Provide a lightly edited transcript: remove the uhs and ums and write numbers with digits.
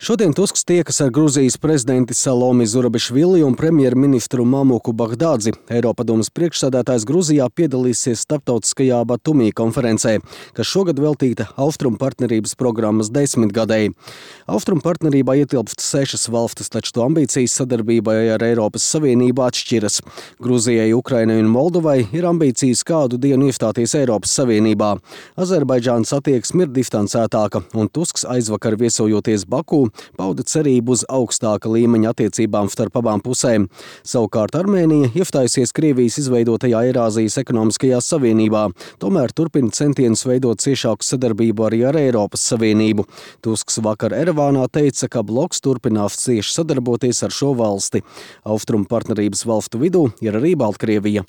Šodien Tusks tiekas ar Gruzijas prezidenti Salomi Zurabišvili un premjerministru Mamuku Bagdādzi. Eiropadomes priekšsēdētājs Gruzijā piedalīsies starptautiskajā Batumī konferencē, kas šogad veltīta Austrumu partnerības programmas 10-gadēji. Austrumu partnerībā ietilpst 6 valstis, taču to ambīcijas sadarbībai ar Eiropas Savienību atšķiras. Gruzijai, Ukrainai un Moldovai ir ambīcijas kādu dienu iestāties Eiropas Savienībā. Azerbaidžānas attieksme ir distancētāka, un Tusks aizvakar viesojoties Baku pauda cerību uz augstāka līmeņa attiecībām starp abām pusēm. Savukārt Armēnija iestājusies Krievijas izveidotajā Eirāzijas ekonomiskajā savienībā, tomēr turpina centienus veidot ciešāku sadarbību arī ar Eiropas Savienību. Tusks vakar Erevānā teica, ka bloks turpinās cieši sadarboties ar šo valsti. Austrumu partnerības valstu vidū ir arī Baltkrievija.